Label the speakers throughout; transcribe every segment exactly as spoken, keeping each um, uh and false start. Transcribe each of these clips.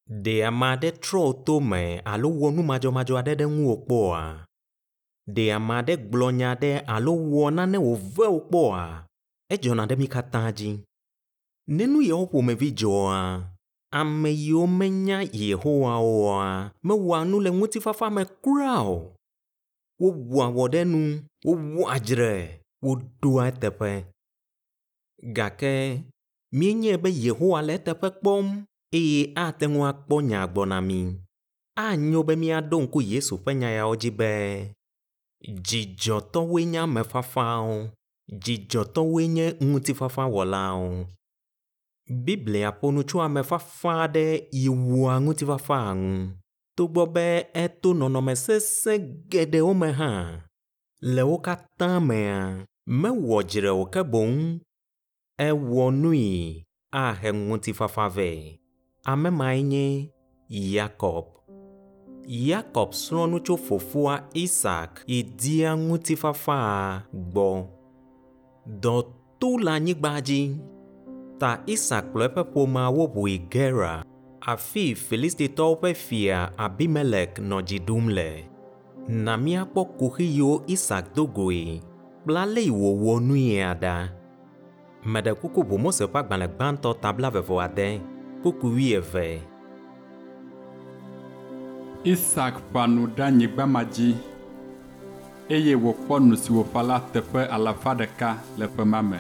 Speaker 1: Ɖe ame aɖe trɔ wò to me alo wɔ nu madzɔmadzɔ aɖe ɖe ŋuwò kpɔa? Ɖe ame aɖe gblɔ nya aɖe alo wɔ nane wòve wò kpɔa? Edzɔna ɖe mí katã dzi. Ne nu yawo ƒomevi dzɔa, ame yiwo menya Yehowa oa mewɔa nu le ŋutifafa me kura o. Wowɔa wɔ ɖe nu, wowɔa dzre, woɖoa eteƒe. Gake míenyae be Yehowa le eteƒe kpɔm eye ate ŋu akpɔ nya gbɔ na mí. Anyo be míaɖo ŋku Yesu ƒe nya yawo dzi be, dzidzɔtɔwoe nye ame fafawo, dzidzɔtɔwoe nye ŋutifafawɔlawo. Biblia ƒo nu tso ame fafa aɖe yi wɔa ŋutifafa ŋu togbɔ be eto nɔnɔme sesẽ geɖewo me hã. Le wo katã mea, mewɔ dzre o ke boŋ ewɔ nui ahe ŋutifafa vɛ. Ame mae nye Yakob. Yakob srɔ̃ nu tso fofoa Isak yi dia ŋutifafa gbɔ. Dɔ to le anyigba dzi ta Isak kplɔ eƒe ƒomeawo ʋu yi Gerar, afi Filistitɔwo ƒe fia Abimelek nɔ dzi ɖum le. Na míakpɔ kuxi yiwo Isak do goe kple ale yi wòwɔ nuia ɖa. Meɖe kuku ʋu Mose ƒe agbalẽ gbãtɔ ta blaeve vɔ ade, kpukpui wuieve.
Speaker 2: Isak ƒã nu ɖe anyigba ma dzi eye wòkpɔ nu si wòƒã la teƒe alafa ɖeka le ƒe ma me.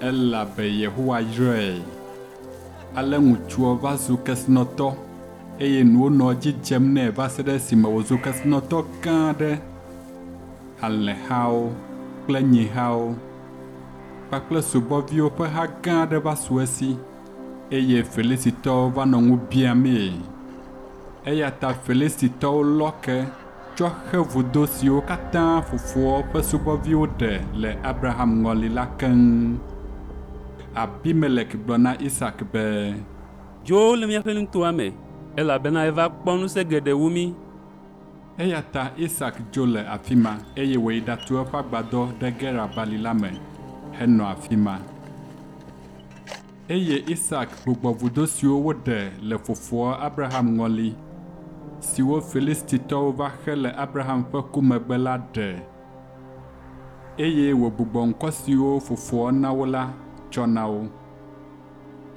Speaker 2: Elabe Yehowa yrae. Ale ŋutsua va zu kesinɔtɔ eye nuwo nɔ edzi dzem nɛ va se ɖe esime wòzu kesinɔtɔ gã aɖe. Alẽhawo kple nyihawo kpakple subɔviwo ƒe ha gã aɖe va su esi eye Filistitɔwo va nɔ ŋu biamee. Eya ta Filistitɔwo lɔ ke tsɔ xe vudo siwo katã fofoa ƒe subɔviwo ɖe le Abraham ŋɔli la keŋ. Abimelek gblɔ na Isak be,
Speaker 3: Dzo le míaƒe nutoa me, elabena eva kpɔ ŋusẽ geɖe wu mí.
Speaker 2: Eya ta Isak dzo le afi ma eye wòyi ɖatu eƒe agbadɔ ɖe Gerar bali la me henɔ afi ma. Eye Isak gbugbɔ vudo siwo woɖe le fofoa Abraham ŋɔli, siwo Filistitɔwo va xe le Abraham ƒe ku megbe la ɖe. Eye wògbugbɔ ŋkɔ siwo fofoa na wo la tsɔ na wo.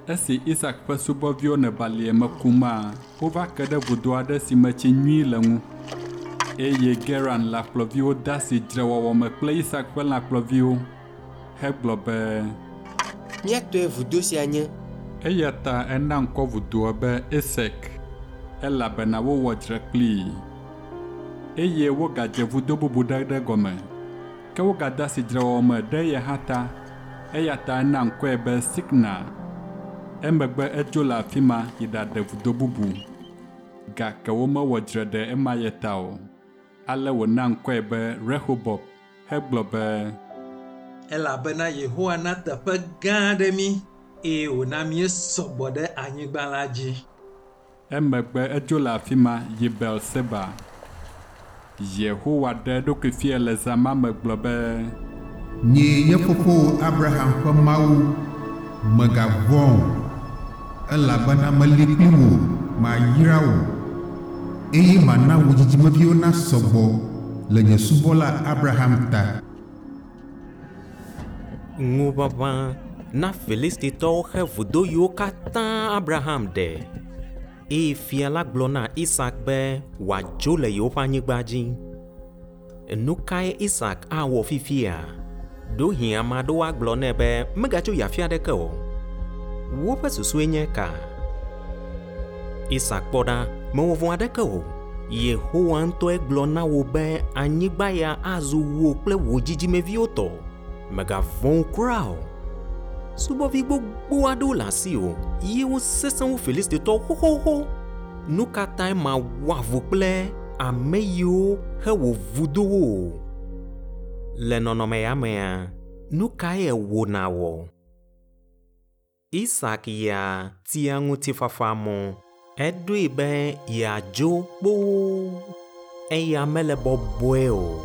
Speaker 2: Esi Isak ƒe subɔviwo nɔ balie me kuma, wova ke ɖe vudo aɖe si me tsi nyui le ŋu. Eye Gerar lãkplɔviwo de asi dzrewɔwɔ me kple Isak ƒe lãkplɔviwo hegblɔ be,
Speaker 4: Mía tɔe vudo sia nye.
Speaker 2: Eya ta ena ŋkɔ vudoa be Esek elabena wowɔ dzre kplii. Eye wogadze vudo bubu ɖe ɖe gɔme. Ke wogade asi dzrewɔwɔ me ɖe eya hã ta. Eya ta ena ŋkɔe be Sitna. Emegbe edzo le afi ma yi ɖaɖe vudo bubu. Gake womewɔ dzre ɖe ema ya ta o. Ale wòna ŋkɔe be Rehobot hegblɔ be,
Speaker 5: Elabena Yehowa na teƒe gã aɖe mí eye wòna míesɔ gbɔ ɖe anyigba la dzi.
Speaker 2: Emegbe edzo le afi ma yi Beerseba. Yehowa ɖe eɖokui fia le zã ma me gblɔ be,
Speaker 6: Nyee nye fofowò Abraham ƒe Mawu, mègavɔ̃ o, elabena meli kpli wò, mayra wò, eye mana wò dzidzimeviwo nasɔ gbɔ le nye subɔla Abraham ta.
Speaker 1: Ŋuʋaʋã na Filistitɔwo xe vudo yiwo katã Abraham ɖe. Eye fia la gblɔ na Isak be wòadzo le yewoƒe anyigba dzi. Nu kae Isak awɔ fifia? Ɖewohĩ ame aɖewo agblɔ nɛ be megatso yi afi aɖeke o. Woƒe susue nye ka? Isak kpɔ ɖa, mewɔ vɔ̃ aɖeke o. Yehowa ŋutɔe gblɔ na wò be anyigba ya azu wò kple wò dzidzimeviwo tɔ. Mègavɔ̃ kura o. Subɔvi gbogbo aɖewo le asiwò ye wosesẽ wu Filistitɔwo xoxoxo. Nu ka tae mawɔ avu kple ame yiwo he wò vudowo o? Le nɔnɔme ya mea, nu kae wò nàwɔ? Isak ya tia ŋutifafa mɔ. Eɖoe be yeadzo kpoo. Eya mele bɔbɔe o.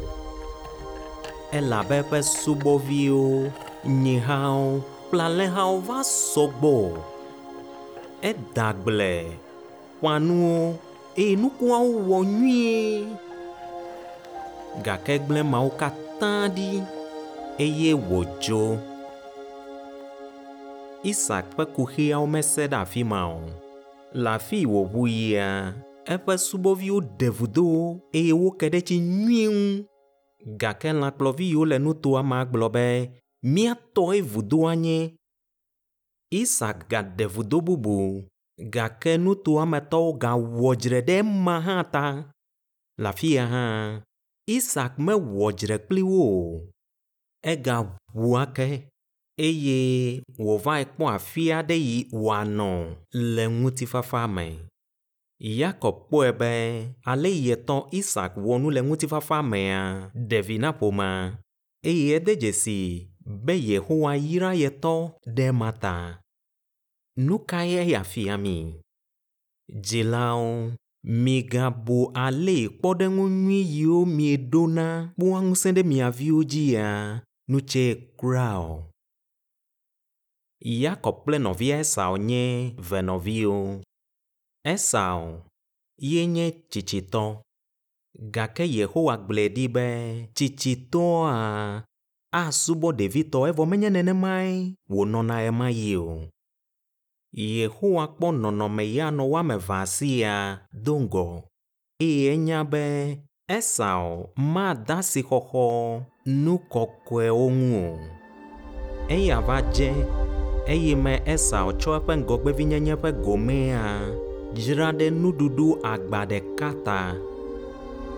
Speaker 1: Elabe eƒe subɔviwo, nyihawo kple alẽhawo va sɔ gbɔ. Eda agble ƒã nuwo eye nukuawo wɔ nyuie. Gake egblẽ mawo katã ɖi eye wòdzo. Isak ƒe kuxiawo mese ɖe afi ma o. Le afi wòʋu yia, eƒe subɔviwo ɖe vudo eye woke ɖe tsi nyuie ŋu. Gake lãkplɔvi yiwo le nutoa me gblɔ be mía tɔe vudoa nye. Isak gaɖe vudo bubu gake nutoa me tɔwo gawɔ dzre ɖe ema hã ta. Le afi ya hã, Isak mewɔ dzre kpli wo o. Egaʋu ake eye wòvae kpɔ afi aɖe yi wòanɔ le ŋutifafa me. Yakob kpɔe be ale yi yetɔ Isak wɔ nu le ŋutifafa mea ɖe vi na ƒomea eye ede dzesi be Yehowa yra yetɔ ɖe ema ta. Nu kae eya fia mi? Dzilawo, migabu ale yi kpɔɖeŋu nyui yiwo mieɖona kpɔa ŋusẽ ɖe mia viwo dzia nu tsɛ kura o. Yakob kple nɔvia Esau nye venɔviwo. Esau ye nye tsitsitɔ gake Yehowa gblɔe ɖi be tsitsitɔa asubɔ ɖevitɔ evɔ menye nenemae wònɔna ɣemaɣi o. Yehowa kpɔ nɔnɔme ya nɔ wo ame evea sia do ŋgɔ eye enya be Esau made asixɔxɔ nu kɔkɔewo ŋu o. Eya va dze eye me Esau tsɔ eƒe ŋgɔgbevinyenye ƒe gomea dzra ɖe nuɖuɖu agba ɖeka ta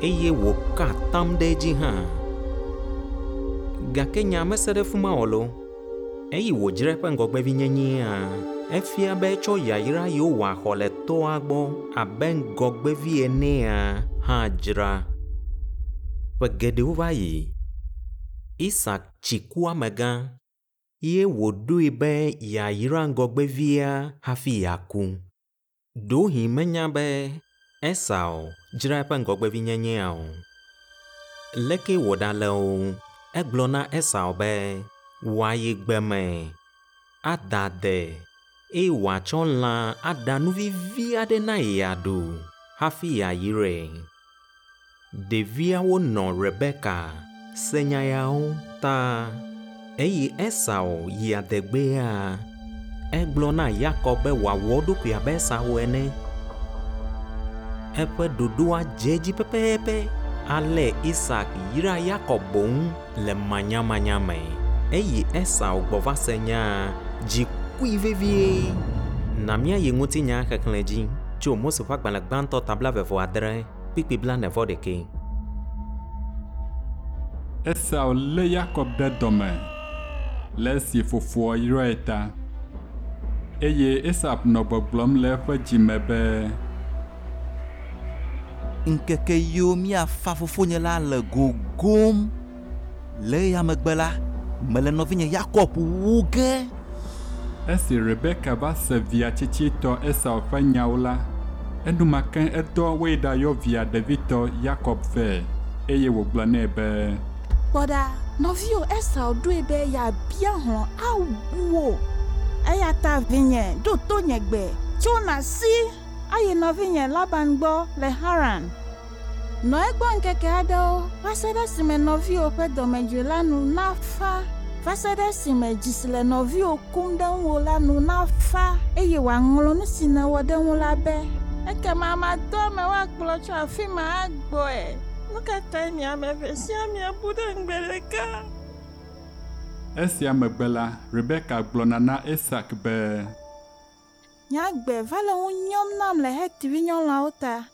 Speaker 1: eye wòka atam ɖe edzi hã. Gake nya mese ɖe fi ma o loo. Eyi wòdzra eƒe ŋgɔgbevinyenyea, efia be etsɔ yayra yiwo wòaxɔ le tɔa gbɔ abe ŋgɔgbevi enea hã dzra. Ƒe geɖewo va yi, Isak tsi ku amegã ye wòɖoe be yeayra ŋgɔgbevia hafi yeaku. Ɖewohĩ menya be Esau dzra eƒe ŋgɔgbevinyenyea o. Leke wòɖale o, egblɔ na Esau be wòayi gbe me ada ade eye wòatsɔ lã aɖa nu vivi aɖe na ye yeaɖu hafi yeayrae. Ɖeviawo nɔ Rebeka se nya yawo ta eye Esau yi adegbea, egblɔ na Yakob be wòawɔ eɖokui abe Esau ene. Eƒe ɖoɖoa dze edzi pɛpɛpɛ ale Isak yra Yakob boŋ le manyamanya me. Eyi Esau gbɔ va se nyaa, dzi kui vevie. Na míayi ŋutinya xexlẽ dzi tso Mose ƒe agbalẽ gbãtɔ ta blaeve vɔ adre kpukpui blaene vɔ ɖekɛ.
Speaker 2: Esau lé Yakob ɖe dɔme le esi fofoa yrae ta. Eye Esau nɔ gbɔgblɔm le eƒe dzime be,
Speaker 7: Ŋkeke yiwo míafa fofonye la le gogom. Le eya megbe la, mele nɔvinye Yakob wu ge.
Speaker 2: Esi Rebeka va se via tsitsitɔ Esau ƒe nyawo la, enumake edɔ woyi ɖayɔ via ɖevitɔ Yakob vɛ eye wògblɔ nɛ be,
Speaker 8: Kpɔ ɖa, nɔviwò Esau ɖoe be yeabia hlɔ̃ awu wò. Eya ta vinye, ɖo to nye gbe, tso nàsi ayi nɔvinye Laban gbɔ le Haran. Nɔ egbɔ ŋkeke aɖewo va se ɖe esime nɔviwò ƒe dɔmedzoe la nu nafa, va se ɖe esime dzi si le nɔviwò kum ɖe ŋuwò la nu nafa eye wòaŋlɔ nu si nèwɔ ɖe ŋu la be. Ekema madɔ ame woakplɔ tso afi ma agbɔe. Nu ka tae mi ame eve sia miabu ɖe ŋugbe ɖeka?
Speaker 2: Esia megbe la, Rebeka gblɔna na Isak be,
Speaker 8: Nye agbe va le ŋu nyɔm nam le Het vinyɔnuawo ta.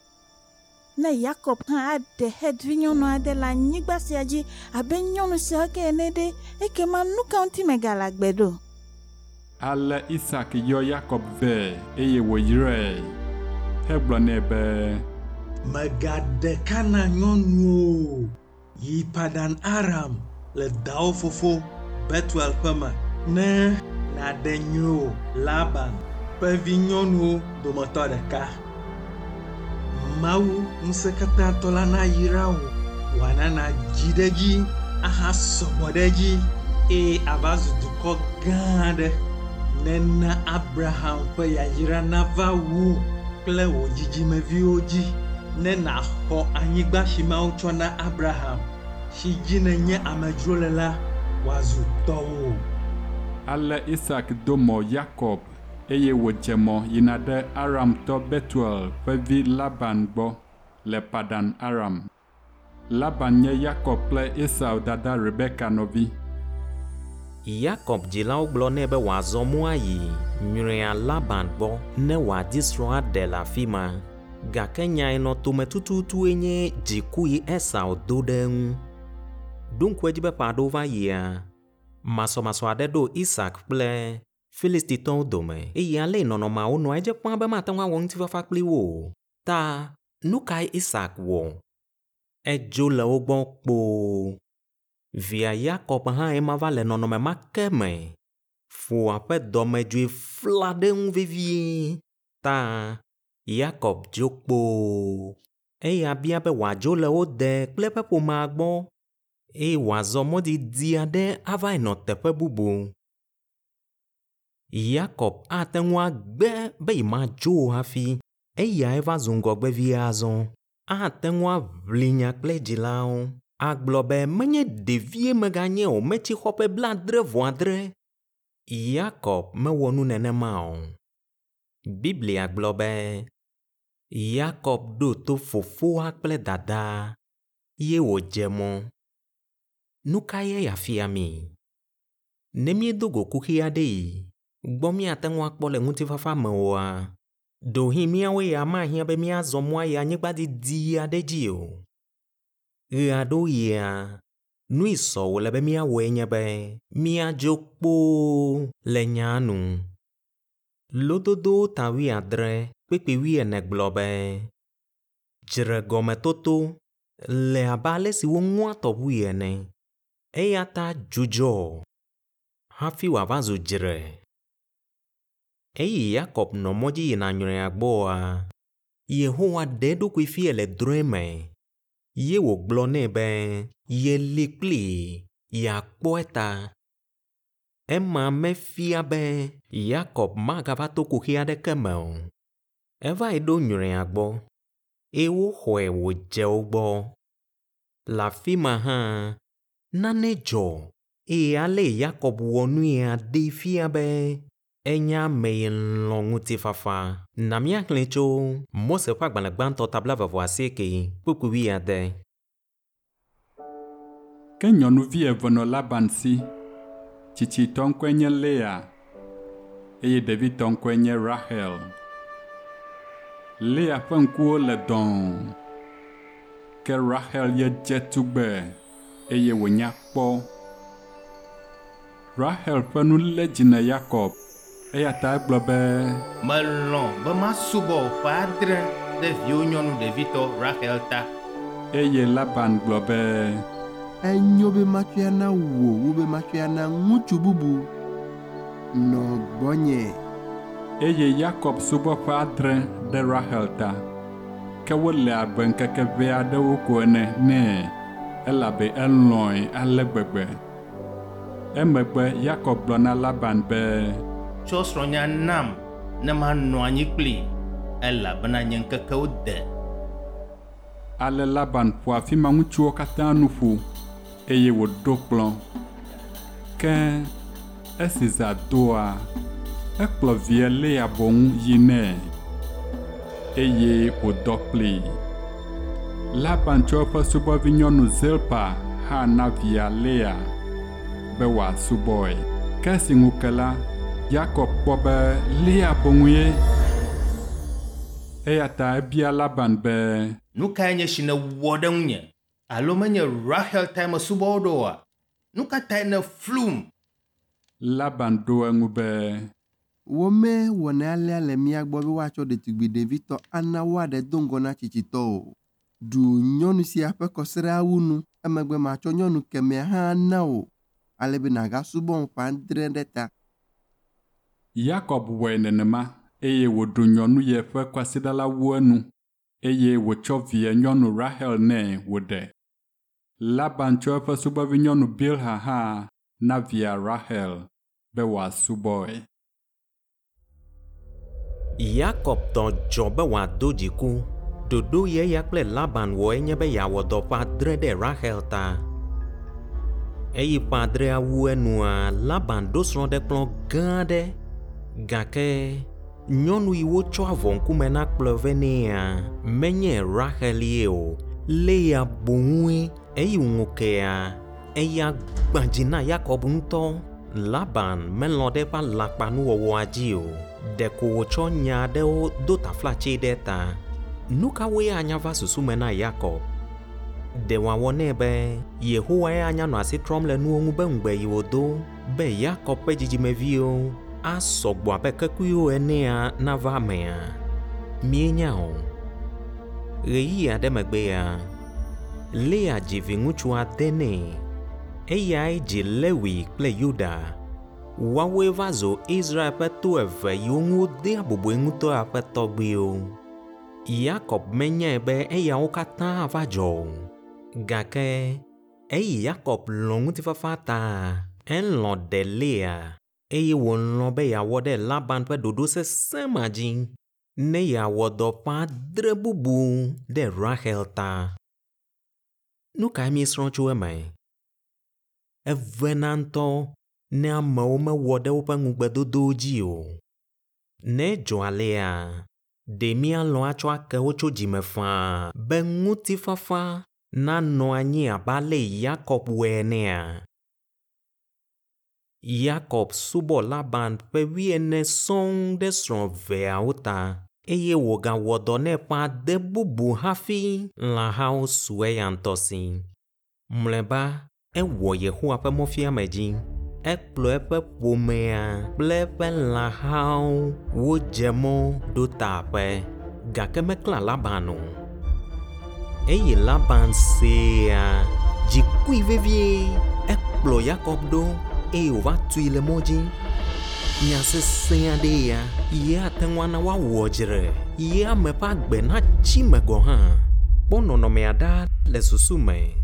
Speaker 8: Ne Yakob hã aɖe Het vinyɔnu aɖe le anyigba sia dzi abe nyɔnu siawo ke ene ɖe, ekema nu ka ŋuti megale agbe ɖo?
Speaker 2: Ale Isak yɔ Yakob vɛ eye wòyrae hegblɔ nɛ be,
Speaker 5: Mègaɖe Kanaan nyɔnuwo o. Yi Padan Aram le dawò fofo Betuel ƒe me ne nàɖe nyrowò Laban ƒe vinyɔnuwo dometɔ ɖeka. Mawu ŋusẽkatãtɔ la nayra wò, wòana nàdzi ɖe edzi ahasɔgbɔ ɖe edzi eye ava zu dukɔ gã aɖe. Nena Abraham ƒe yayra nava wu kple wò dzidzimeviwo dzi ne nàxɔ anyigba si Mawu tsɔ na Abraham, si dzi nènye amedzro le la, wòazu tɔwò.
Speaker 2: Ale Isak do mɔ Yakob eye wòdze mɔ yina ɖe Aramtɔ Betuel ƒe vi Laban gbɔ le Padan Aram. Laban nye Yakob kple Esau dada Rebeka nɔvi.
Speaker 1: Yakob dzilawo gblɔ nɛ be wòazɔ mɔ ayi nyrɔ̃ea Laban gbɔ ne wòadi srɔ̃ aɖe le afi ma. Gake nya yi nɔ tome tututue nye dziku yi Esau do ɖe eŋu. Ɖo ŋku edzi be ƒe aɖewo va yia, masɔmasɔ aɖe ɖo Isak kple Filistitɔwo dome eye ale yi nɔnɔmeawo nɔa edze ƒãa be mate ŋu awɔ ŋutifafa kpli wo o. Ta nu kae Isak wɔ? Edzo le wo gbɔ kpoo. Via Yakob hã ema va le nɔnɔme ma ke me. Foa ƒe dɔmedzoe fla ɖe eŋu vevie. Ta Yakob dzo kpoo. Eya bia be wòadzo le wo de kple eƒe ƒomea gbɔ eye wòazɔ mɔ didi aɖe ava yi nɔ teƒe bubu. Yakob ate ŋu agbe be yemadzo o hafi. Eyae va zu ŋgɔgbevi azɔ. Ate ŋu aʋli nya kple dzilawo. Agblɔ be menye ɖevie meganye o, metsi xɔ ƒe blaadre vɔ adre. Yakob mewɔ nu nenema o. Biblia gblɔ be Yakob ɖo to fofoa kple dadaa ye wòdze mɔ. Nu kae eya fia mí? Ne míedo go kuxi aɖe yi gbɔ míate ŋu akpɔ le ŋutifafa me oa, ɖewohĩ míawoe ya mahiã be míazɔ mɔ ayi anyigba didi aɖe dzi o. Ɣe aɖewo ɣia, nu yi sɔ wòle be míawɔe nye be míadzo kpoo le nyaa nu. Lododowo ta wuiadre kpukpui wuiene gblɔ be dzregɔmetoto le abe ale si woŋɔa tɔʋui ene. Eya ta dzudzɔ hafi wòava zu dzre. Eyi Yakob nɔ mɔ dzi yina nyrɔ̃ea gbɔa, Yehowa ɖe eɖokui fia le drɔ̃e me ye wògblɔ nɛ be yeli kplii yeakpɔ eta. Ema mefia be Yakob magava to kuxi aɖeke me o. Eva yi ɖo nyrɔ̃ea gbɔ eye woxɔe wòdze wo gbɔ. Le afi ma hã, nane dzɔ eye ale Yakob wɔ nuya ɖee fia be enye ame yi lɔ̃ ŋutifafa. Na míaxlẽe tso Mose ƒe agbalẽ gbãtɔ ta blaeve vɔ asieke kpukpui wuiade.
Speaker 2: Ke nyɔnuvi eve nɔ Laban si. Tsitsitɔ ŋkɔe nye Lea eye ɖevitɔ ŋkɔe nye Rahel. Lea ƒe ŋkuwo le dɔ̃ɔ, ke Rahel ye dze tugbe eye wònya kpɔ. Rahel ƒe nu lé dzi na Yakob eya ta egblɔ be,
Speaker 9: Melɔ̃ be masubɔ wò ƒe adre ɖe viwò nyɔnu ɖevitɔ Rahel ta.
Speaker 2: Eye Laban gblɔ be,
Speaker 10: Enyo be matsɔe ana wò wu be matsɔe ana ŋutsu bubu. Nɔ gbɔnye.
Speaker 2: Eye Yakob subɔ ƒe adre ɖe Rahel ta. Ke wole abe ŋkeke ʋɛ aɖewo ko ene nɛ elabe elɔ̃e ale gbegbe. Emegbe Yakob gblɔ na Laban be,
Speaker 9: Tsɔ srɔ̃nya nam ne manɔ anyi kplii elabena nye ŋkekewo de.
Speaker 2: Ale Laban ƒo afi ma ŋutsuwo katã nu ƒu eye wòɖo kplɔ̃. Ke esi zã doa, ekplɔ via Lea boŋ yi nɛ eye wòdɔ kplii. Laban tsɔ eƒe subɔvinyɔnu Zilpa hã na via Lea be wòasubɔe. Ke esi ŋu ke la, Yakob kpɔ be Lea boŋue. Eya ta ebia Laban be,
Speaker 9: Nu kae nye si nèwɔ ɖe ŋunye? Alo menye Rahel tae mesubɔ wò ɖo oa? Nu ka tae nèflum?
Speaker 2: Laban ɖo eŋu be,
Speaker 10: Womewɔnɛ alea le mía gbɔ be woatsɔ ɖetugbi ɖevitɔ ana woaɖe do ŋgɔ na tsitsitɔ o. Ɖu nyɔnu sia ƒe kɔsiɖawu nu emegbe matsɔ nyɔnu kemɛa hã ana wò ale be nàgasubɔm ƒe adre ɖe ta.
Speaker 2: Yakob wɔe nenema eye wòɖu nyɔnu ye ƒe kwasiɖa la wu enu eye wòtsɔ via nyɔnu Rahel nɛ wòɖe. Laban tsɔ eƒe subɔvinyɔnu Bilha hã na via Rahel be wòasubɔe.
Speaker 1: Yakob tɔ dzɔ be wòado dziku. Ɖoɖo yi eya kple Laban wɔe nye be yeawɔ dɔ ƒe adre ɖe Rahel ta. Eyi ƒe adrea wu enua, Laban ɖo srɔ̃ɖekplɔ̃ gã aɖe gake nyɔnu yi wotsɔ avɔ ŋkume na kplɔe vɛ nɛa, menye Rahel ye o, Lea boŋue. Eyi ŋu kea, eya gbã dzi na Yakob ŋutɔ. Laban melɔ̃ ɖe eƒe alakpanuwɔwɔa dzi o. Ɖeko wòtsɔ nya aɖewo do taflatse ɖe ta. Nu kawoe anya va susu me na Yakob? Ɖe wòawɔ nɛ be Yehowae anya nɔ asi trɔm le nuwo ŋu be ŋugbe yi wòdo be Yakob ƒe dzidzimeviwo asɔ gbɔ abe kekuiwo enea nava emea? Míenya o. Ɣeyiɣi aɖe megbea, Lea dzi viŋutsu ade nɛ. Eyae dzi Lewi kple Yuda. Woawoe va zu Israel ƒe to eve yiwo ŋu wodea bubue ŋutɔ ƒe tɔgbuiwo. Yakob menyae be eyawo katã ava dzɔ o. Gake eyi Yakob lɔ̃ ŋutifafa ta, elɔ̃ ɖe Lea eye wòlɔ̃ be yeawɔ ɖe Laban ƒe ɖoɖo sesẽ ma dzi ne yeawɔ dɔ ƒe adre bubu ɖe Rahel ta. Nu kae míesrɔ̃ tso eme? Evena ŋutɔ ne amewo mewɔ ɖe woƒe ŋugbedodowo dzi o. Ne edzɔ alea, ɖe míalɔ̃ atsɔ ake wo tso dzime faa be ŋutifafa nanɔ anyi abe ale Yakob wɔe enea? Yakob subɔ Laban ƒe wuiene sɔŋ ɖe srɔ̃ eveawo ta eye wògawɔ dɔ nɛ ƒe ade bubu hafi lãhawo su eya ŋutɔ si. Mlɔeba, ewɔ Yehowa ƒe mɔfiame dzi. Ekplɔ eƒe ƒomea kple eƒe lãhawo wodze mɔ ɖo ta aƒe gake meklã Laban o. Eye Laban sea, dzi kui vevie. Ekplɔ Yakob ɖo eye wòva tui le mɔ dzi. Nya sesẽ aɖee ya ye ate ŋu ana woawɔ dzre ye ame ƒe agbe natsi me gɔ̃ hã. Kpɔ nɔnɔmea ɖa le susu me.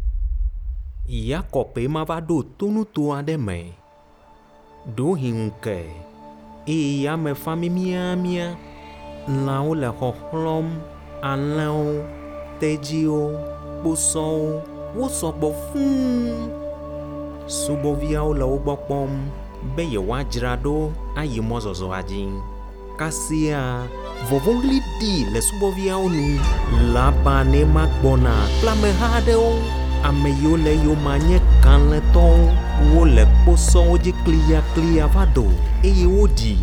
Speaker 1: Yakob ema va ɖo tonuto aɖe me. Ɖewohĩ ŋu ke eye yame fa miamiamia. Lãwo le xɔxlɔ̃m, alẽwo, tedziwo, kposɔwo, wosɔ gbɔ fũu. Subɔviawo le wo gbɔ kpɔm be yewoadzra ɖo ayi mɔzɔzɔa dzi. Kasia, vɔvɔ̃ɣli ɖi le subɔviawo nu. Laban ema gbɔna kple ameha aɖewo. Ame yiwo le eyome nye kalẽtɔwo. Wole kposɔwo dzi kliyakliya va do eye woɖi.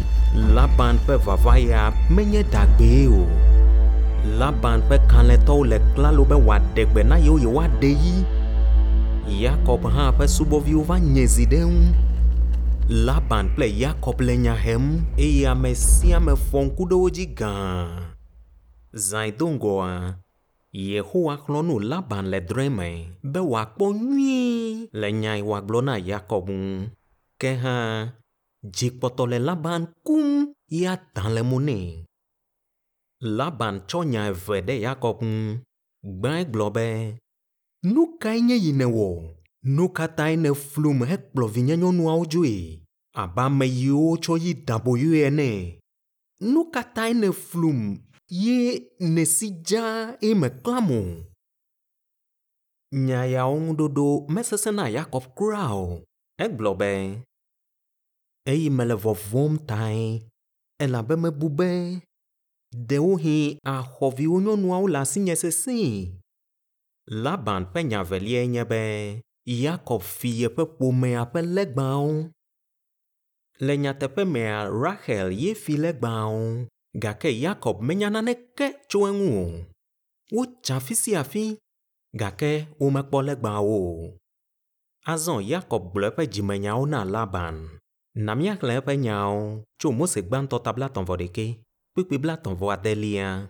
Speaker 1: Laban ƒe vava ya menye ɖagbee o. Laban ƒe kalẽtɔwo le klalo be wòaɖe gbe na yewo yewoaɖe yi. Yakob hã ƒe subɔviwo va nye zi ɖe eŋu. Laban kple Yakob le nya hem eye ame sia ame fɔ ŋku ɖe wo dzi gãa. Zãe do ŋgɔa, Yehowa xlɔ̃ nu Laban le drɔ̃e me be wòakpɔ nyuie le nya yi wòagblɔ na Yakob ŋu. Ke hã, dzi kpɔtɔ le Laban kum ya dã le mo nɛ. Laban tsɔ nya eve ɖe Yakob ŋu. Gbãe gblɔ be, Nu kae nye yi nèwɔ? Nu ka tae nèflum hekplɔ vinyenyɔnuawo dzoe abe ame yiwo wotsɔ yi da aboyoe ene? Nu ka tae nèflum ye nèsi dzaa eye mèklãm o? Nya yawo ŋuɖoɖo mesesẽ na Yakob kura o. Egblɔ be, eyi mele vɔvɔ̃m tae elabe mebu be ɖewohĩ axɔ viwò nyɔnuawo le asinye sesẽe. Laban ƒe nya eveliae nye be Yakob fi yeƒe ƒomea ƒe legbawo. Le nyateƒe mea, Rahel ye fi legbawo gake Yakob menya naneke tso eŋu o. Wotsa afi sia afi gake womekpɔ legbawo o. Azɔ Yakob gblɔ eƒe dzimenyawo na Laban. Na míaxlẽ eƒe nyawo tso Mose gbãtɔ ta blaetɔ̃ vɔ ɖekɛ, kpukpui blaetɔ̃ vɔ adelia.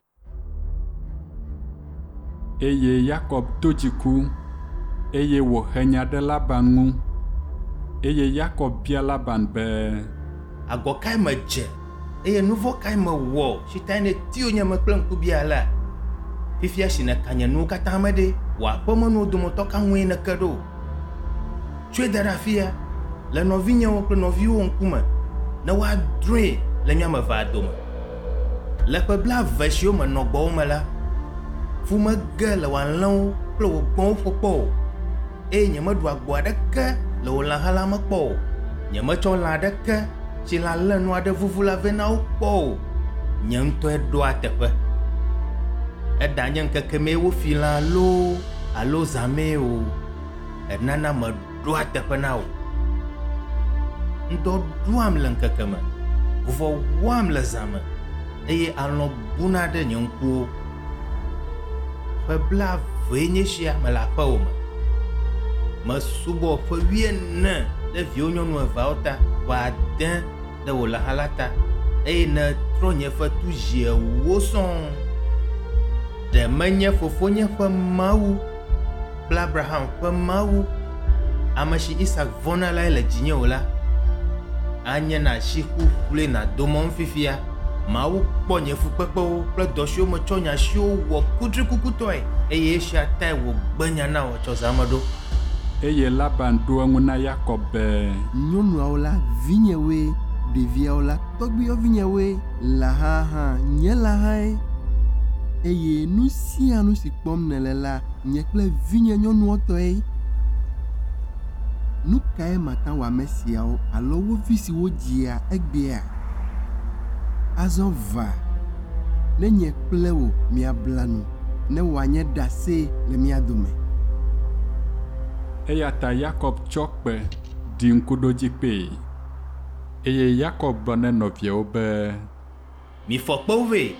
Speaker 2: Eye Yakob do dziku, eye wòhe nya ɖe Laban ŋu. Eye Yakob bia Laban be,
Speaker 9: Agɔ kae medze eye nu vɔ̃ kae mewɔ si tae nèti yonyeme kple ŋkubia alea? Fifia si nèka nye nuwo katã me ɖe, wò aƒemenuwo dometɔ ka ŋue nèke ɖo? Tsɔe da ɖe afia le nɔvinyewo kple nɔviwòwo ŋkume ne woadrɔ̃e le mía ame evea dome. Le ƒe blaeve siwo menɔ gbɔwò me la, fu mege le wò alẽwo kple wò gbɔ̃wo ƒo kpɔ o, eye nyemeɖu agbo aɖeke le wò lãha la me kpɔ o. Nyemetsɔ lã aɖeke si lã lénu aɖe vuvu la vɛ na wo kpɔ o. Nye ŋutɔe ɖoa teƒe. Eɖanye ŋkeke mee wofi lã loo alo zã mee o, enana meɖoa teƒe na wò. Ŋdɔ ɖuam le ŋkeke me, vuvɔ wɔam le zã me, eye alɔ̃ buna ɖe nye ŋkuwo. Ƒe blaevee nye esia mele aƒewò me. Mesubɔ ƒe wuiene ɖe viwò nyɔnu eveawo ta, ƒe ade ɖe wò lãha la ta, eye nètrɔ nye fetu zi ewo sɔŋ. Ɖe menye fofonye ƒe Mawu kple Abraham ƒe Mawu, ame si Isak vɔ̃na lae le dzinye o la, anye na asi ƒuƒlue nàdo mɔm fifia. Mawu kpɔ nye fukpekpewo kple dɔ siwo metsɔ nye asiwo wɔ kutrikukutɔe eye esia tae wògbe nya na wò tsɔ zã me ɖo.
Speaker 2: Eye Laban ɖo eŋu na Yakob be,
Speaker 10: Nyɔnuawo la vinyewoe, ɖeviawo la tɔgbuiyɔvinyewoe, lãha hã nye lãhae. Eye nu sia nu si kpɔm nèle la nye kple vinye nyɔnuwo tɔe. Nu kae mate wɔ ame siawo alo wo vi siwo dzia egbea? Azɔ va, ne nye kple wò míabla nu, ne wòanye ɖase le mía dome.
Speaker 2: Eya ta Yakob tsɔ kpe ɖi ŋkuɖodzikpee. Eye Yakob gblɔ na nɔviawo be,
Speaker 9: Mifɔ kpewo vɛ.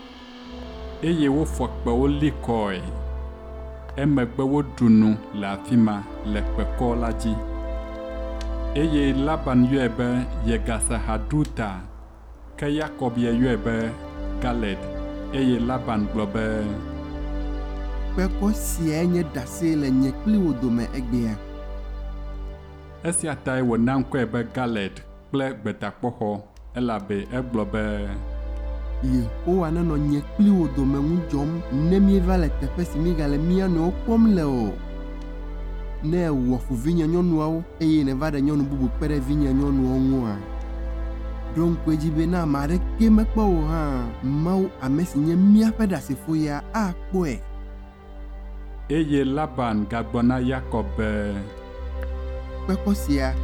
Speaker 2: Eye wofɔ kpewo li kɔe. Emegbe woɖu nu le afi ma le kpekɔ la dzi. Eye Laban yɔe be Yegasahaduta, ke Yakob ya yɔe be Galed. Eye Laban gblɔ be,
Speaker 10: Kpekɔ siae nye ɖase le nye kpli wò dome egbea.
Speaker 2: Esia tae wòna ŋkɔe be Galed kple gbetakpɔxɔ elabe egblɔ be,
Speaker 10: Yehowa nenɔ nye kpli wò dome ŋu dzɔm ne míeva le teƒe si míegale mía nɔewo kpɔm le o. Ne èwɔ fu vinye nyɔnuawo eye nèva ɖe nyɔnu bubu kpe ɖe vinye nyɔnuwo ŋua, ɖo ŋku edzi be ne ame aɖeke mekpɔ wò hã, Mawu ame si nye míaƒe ɖasefo ya akpɔe.
Speaker 2: Eye Laban gagblɔ na Yakob be,
Speaker 10: Kpekɔ sia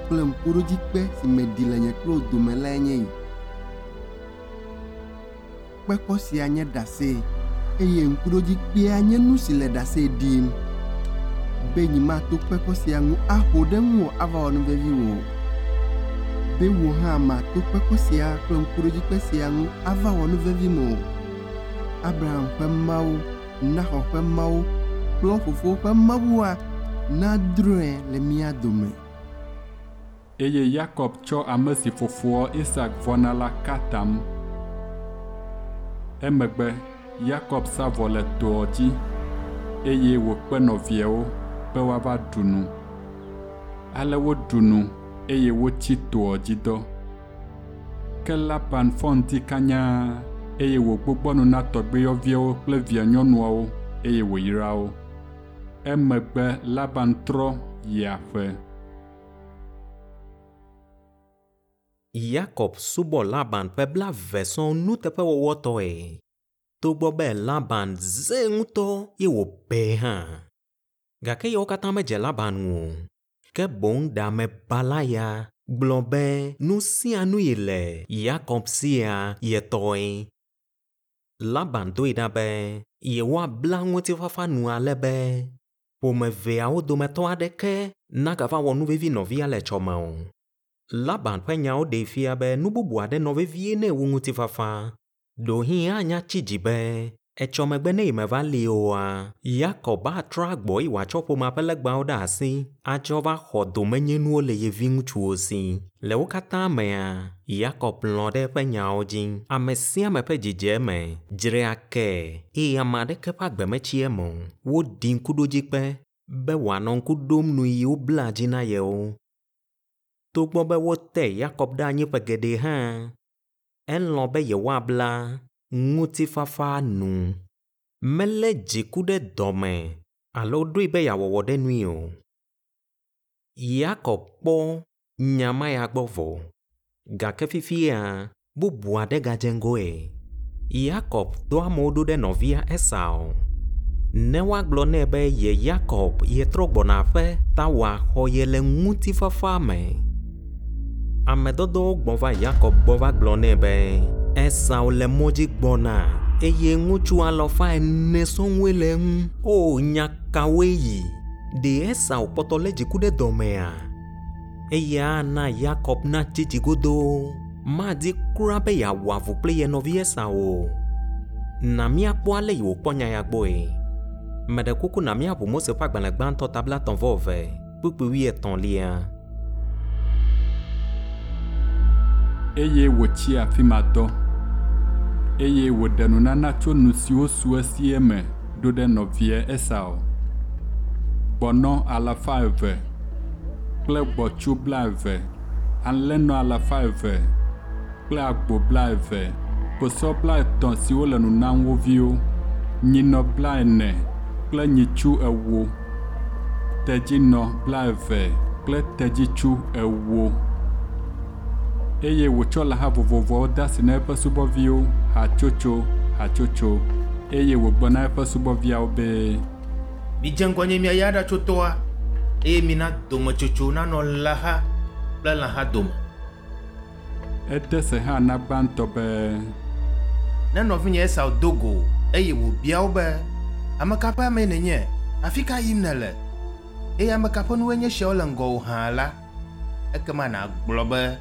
Speaker 10: kple ŋkuɖodzikpe si meɖi le nye kple wò dome lae nye yi. Kpekɔ sia nye ɖase eye ŋkuɖodzikpea nye nu si le ɖase ɖim be nyemato kpekɔ sia ŋu aho ɖe ŋuwò ava wɔ nuvevi wò o. Be wò hã màto kpekɔ sia kple ŋkuɖodzikpe sia ŋu ava wɔ nuvevim o. Abraham ƒe Mawu, Nahor ƒe Mawu kple wo fofowo ƒe Mawua nadrɔ̃e le mía dome.
Speaker 2: Eye Yakob tsɔ ame si fofoa Isak vɔ̃na la ka atam. Emegbe Yakob sa vɔ le toa dzi eye wòkpe nɔviawo be woava ɖu nu. Ale woɖu nu eye wotsi toa dzi dɔ. Ke Laban fɔ ŋdi kanya eye wògbugbɔ nu na tɔgbuiyɔviawo kple via nyɔnuawo eye wòyra wo. Emegbe Laban trɔ yi aƒe.
Speaker 1: Yakob subɔ Laban ƒe blaeve sɔŋ nuteƒewɔwɔtɔe. Togbɔ be Laban zẽ ŋutɔ ye wòbee hã. Gake yewo katã medze Laban ŋu o. Ke boŋ ɖe amebala ya gblɔ be nu sia nu yi le Yakob sia ye tɔe. Laban doe ɖa be yewoabla ŋutifafa nu ale be ƒome eveawo dometɔ aɖeke nagava wɔ nuvevi nɔvia le etsɔme o. Laban ƒe nyawo ɖee fia be nu bubu aɖe nɔ vevie nɛ wu ŋutifafa. Ɖewohĩ anya tsi dzi be etsɔmegbe ne yemeva li oa, Yakob atrɔ agbɔ eye wòatsɔ ƒomea ƒe legbawo ɖe asi atsɔ va xɔ domenyinuwo le ye viŋutsuwo si. Le wo katã mea, Yakob lɔ̃ ɖe eƒe nyawo dzi. Ame sia ame ƒe dzidze eme, dzrea ke eye ame aɖeke ƒe agbe metsi eme o. Woɖi ŋkuɖodzikpe be wòanɔ ŋku ɖom nu yi wobla dzi na yewo. Togbɔ be wote Yakob ɖe anyi ƒe geɖe hã, elɔ̃ be yewoabla ŋutifafa nu. Melé dziku ɖe dɔme alo ɖoe be yeawɔ wɔɖenui o. Yakob kpɔ nya ma ya gbɔ vɔ. Gake fifia, bubu aɖe gadze ŋgɔe. Yakob dɔ amewo ɖo ɖe nɔvia Esau. Ne woagblɔ nɛ be ye Yakob yetrɔ gbɔna aƒe ta wòaxɔ ye le ŋutifafa me. Ame dɔdɔwo gbɔ va Yakob gbɔ va gblɔ nɛ be Esau le mɔ dzi gbɔna eye ŋutsu alafa ene sɔŋue le eŋu. O nya kawoe yi? Ɖe Esau kpɔtɔ lé dziku ɖe dɔmea? Eya ana Yakob natsi dzi godoo. Madi kura be yeawɔ avu kple ye nɔvi Esau o. Na míakpɔ ale yi wòkpɔ nya ya gbɔe. Meɖe kuku na míaʋu Mose ƒe agbalẽ gbãtɔ ta blaetɔ̃ vɔ eve, kpukpui wuietɔ̃lia.
Speaker 2: Eye wòtsi afi ma dɔ. Eye wòɖe nunana tso nu siwo su esie me ɖo ɖe nɔvia Esau. Gbɔnɔ alafa eve kple gbɔ̃tsu blaeve, alẽnɔ alafa eve kple agbo blaeve, kposɔ blaetɔ̃ siwo le nu nam wo viwo, nyinɔ blaene kple nyitsu ewo, tedzinɔ blaeve kple tedzitsu ewo. Eye wòtsɔ lãha vovovoawo de asi na eƒe subɔviwo hatsotso hatsotso eye wògblɔ na eƒe subɔviawo be,
Speaker 9: Midze ŋgɔnye miayi aɖatso tɔa eye mina dometsotso nanɔ lãha kple lãha dome.
Speaker 2: Ede se hã na gbãtɔ be,
Speaker 9: Ne nɔvinye Esau do go eye wòbia wo be, ame ka ƒe amee nènye? Afi ka yim nèle? Eye ame ka ƒe nuwoe nye esiawo le ŋgɔwò hã la, ekema nàgblɔ be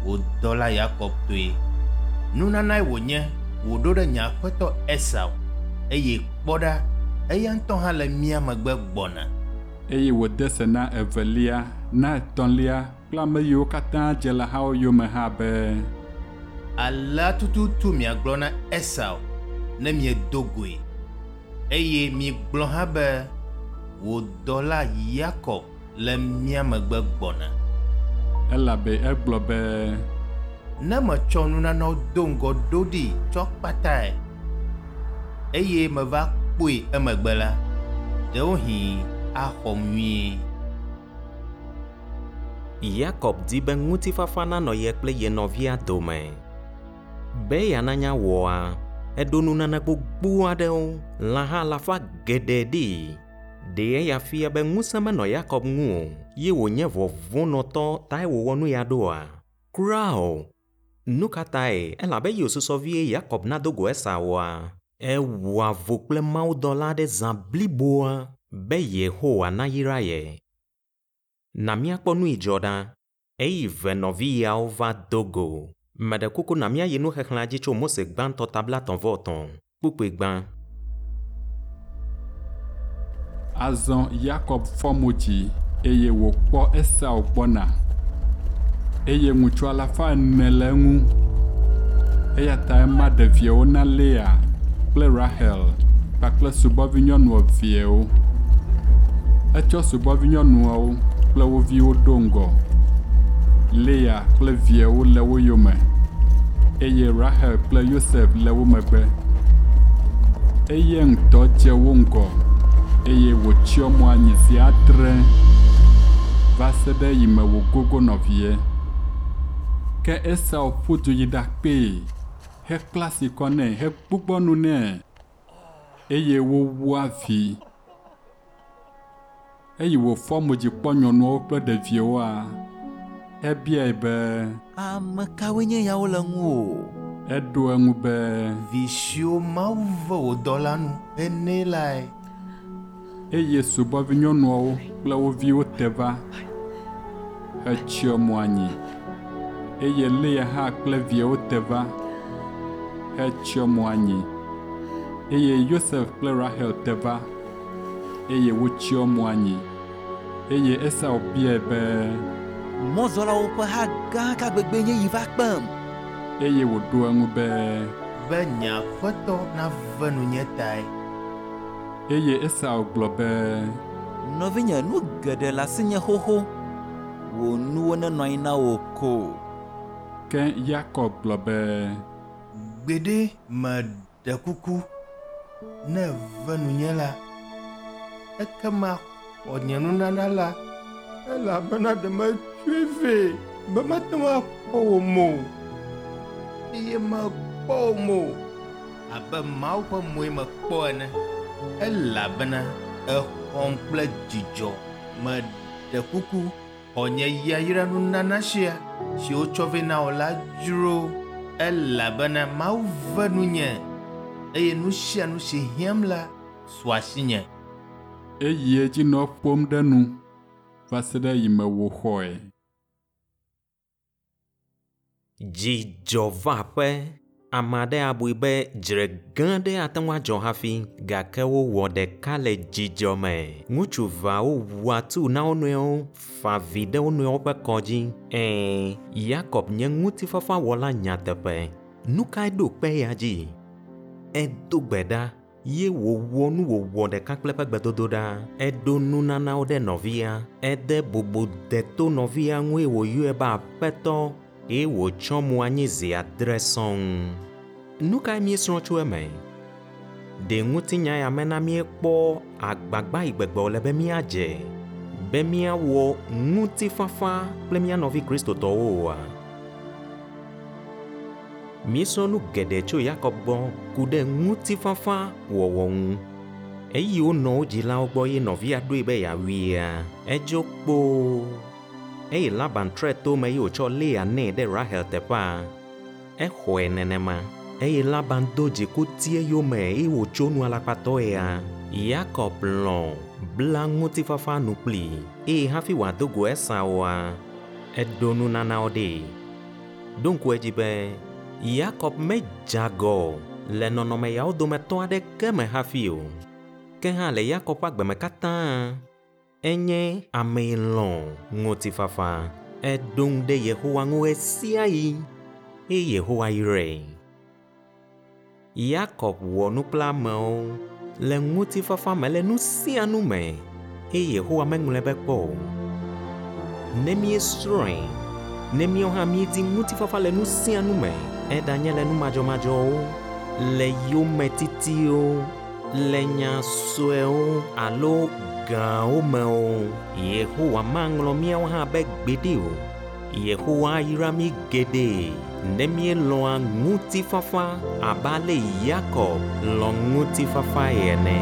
Speaker 9: wò dɔla Yakob tɔe. Nunanae wònye wòɖo ɖe nye aƒetɔ Esau eye kpɔ ɖa, eya ŋutɔ hã le mía megbe gbɔna.
Speaker 2: Eye wòde se na evelia, na etɔ̃lia kple ame yiwo katã dze lãhawo yome hã be,
Speaker 9: Alea tututu miagblɔ na Esau ne miedo goe. Eye migblɔ hã be wò dɔla Yakob le mía megbe gbɔna.
Speaker 2: Elabe egblɔ be,
Speaker 9: Ne metsɔ nunanawo do ŋgɔ ɖo ɖi tsɔ kpatae eye meva kpɔe emegbe la, ɖewohĩ axɔm nyuie.
Speaker 1: Yakob di be ŋutifafa nanɔ ye kple ye nɔvia dome. Be yeananya wɔa, eɖo nunana gbogbo aɖewo, lãha alafa geɖe ɖi. Ɖe eya fia be ŋusẽ menɔ Yakob ŋu o ye wònye vɔvɔ̃nɔtɔ tae wòwɔ nu ya ɖoa? Kura o. Nu ka tae? Elabe eye wòsusɔ vie Yakob nado go Esaua, ewɔ avu kple mawudɔla aɖe zã bliboa be Yehowa nayra ye. Na míakpɔ nu yi dzɔ ɖa. Eyi ve nɔvi yawo va do go. Meɖe kuku na míayi nuxexlẽa dzi tso Mose gbãtɔ ta blaetɔ̃ vɔ etɔ̃, kpukpui gbã.
Speaker 2: Azɔ Yakob fɔ mo dzi eye wòkpɔ Esau gbɔna. Eye ŋutsu alafa ene le eŋu. Eya ta ema ɖeviawo na Lea kple Rahel kpakple subɔvinyɔnu eveawo. Etsɔ subɔvinyɔnuawo kple wo viwo ɖo ŋgɔ. Lea kple viawo le wo yome eye Rahel kple Yosef le wo megbe. Eye ŋutɔ dze wo ŋgɔ eye wòtsyɔ mo anyi zi adre va se ɖe eyime wògogo nɔvia. Ke Esau ƒu du yi ɖakpee hekpla asi kɔ nɛ hegbugbɔ nu nɛ eye wowu avi. Eyi wòfɔ mo dzi kpɔ nyɔnuawo kple ɖeviawoa, ebiae be,
Speaker 7: Ame kawoe nye yawo le ŋuwò?
Speaker 2: Eɖo eŋu be,
Speaker 9: Vi siwo Mawu ve wò dɔla nu henɛ lae.
Speaker 2: Eye subɔvinyɔnuawo kple wo viwo te va hetsyɔ mo anyi. Eye Lea hã kple viawo te va hetsyɔ mo anyi. Eye Yosef kple Rahel te va eye wotsyɔ mo anyi. Eye Esau biae be,
Speaker 7: Mɔzɔlawo ƒe ha gã ka gbegbe nye yi va kpem?
Speaker 2: Eye wòɖo eŋu be,
Speaker 9: Be nye aƒetɔ nave nunye tae.
Speaker 2: Eye Esau gblɔ be,
Speaker 7: Nɔvinye, nu geɖe le asinye xoxo. Wò nuwo nenɔ anyi na wò ko.
Speaker 2: Ke Yakob gblɔ be,
Speaker 9: Gbeɖe meɖe kuku, ne ève nunye la, ekema xɔ nye nunana la, elabena ɖe metsɔe vɛ be mate ŋu akpɔ wò mo o, eye mekpɔ wò mo o. abe Mawu ƒe moe mekpɔ ene elabena exɔm kple dzidzɔ. Meɖe kuku xɔ nye yayra nunana sia si wotsɔ vɛ na wò la dzro elabena Mawu ve nunye eye nu sia nu si hiãm la su asinye.
Speaker 2: Eyi edzi nɔ ƒom ɖe nu va se ɖe eyime wòxɔe.
Speaker 1: Dzidzɔ va aƒe. Ame aɖe abui be dzre gã aɖe ate ŋu adzɔ hafi gake wowɔ ɖeka le dzidzɔ me. Ŋutsu eveawo wu atu na wo nɔewo, fa avi ɖe wo nɔewo ƒe kɔ dzi. Ɛ̃, Yakob nye ŋutifafawɔla nyateƒe. Nu kae ɖo kpe eya dzi? Edo gbe ɖa ye wòwɔ nu wòwɔ ɖeka kple eƒe gbedodoɖa. Eɖo nunanawo ɖe nɔvia. Ede bubu deto nɔvia ŋu eye wòyɔe be aƒetɔ eye wòtsɔ mo anyi zi adre sɔŋ. Nu kae míesrɔ̃ tso eme? Ɖe ŋutinya ya mena míekpɔ agbagba yi gbegbe wòle be míadze be míawɔ ŋutifafa kple mía nɔvi kristotɔwo oa? Míesrɔ̃ nu geɖe tso Yakob gbɔ ku ɖe ŋutifafa wɔwɔ ŋu. Eyi wonɔ wo dzilawo gbɔ ye nɔvia ɖoe be yeawuia, edzo kpoo. Eye Laban trɔe to me ye wòtsɔ Lea nɛ ɖe Rahel teƒea, exɔe nenema. Eye Laban do dziku ti eyome eye wòtso nu alakpatɔea. Yakob lɔ̃ bla ŋutifafa nu kplii eye hafi wòado go Esaua, eɖo nunanawo ɖee. Ɖo ŋku edzi be Yakob medze agɔ le nɔnɔme yawo dometɔ aɖeke me hafi o. Ke hã le Yakob ƒe agbeme katã, enye ame yi lɔ̃ ŋutifafa. Eɖo ŋu ɖe Yehowa ŋu ɣe sia ɣi eye Yehowa yrae. Yakob wɔ nu kple amewo le ŋutifafa me le nu sia nu me eye Yehowa meŋlɔe be kpɔ o. Ne míesrɔ̃e, ne míawo hã míedi ŋutifafa le nu sia nu me, eɖanye le nu madzɔmadzɔwo, le yometitiwo, le nya suewo alo gãwo me o, Yehowa maŋlɔ míawo hã be gbeɖe o. Yehowa ayra mí geɖe ne míelɔ̃a ŋutifafa abe ale Yakob lɔ̃ ŋutifafae ene.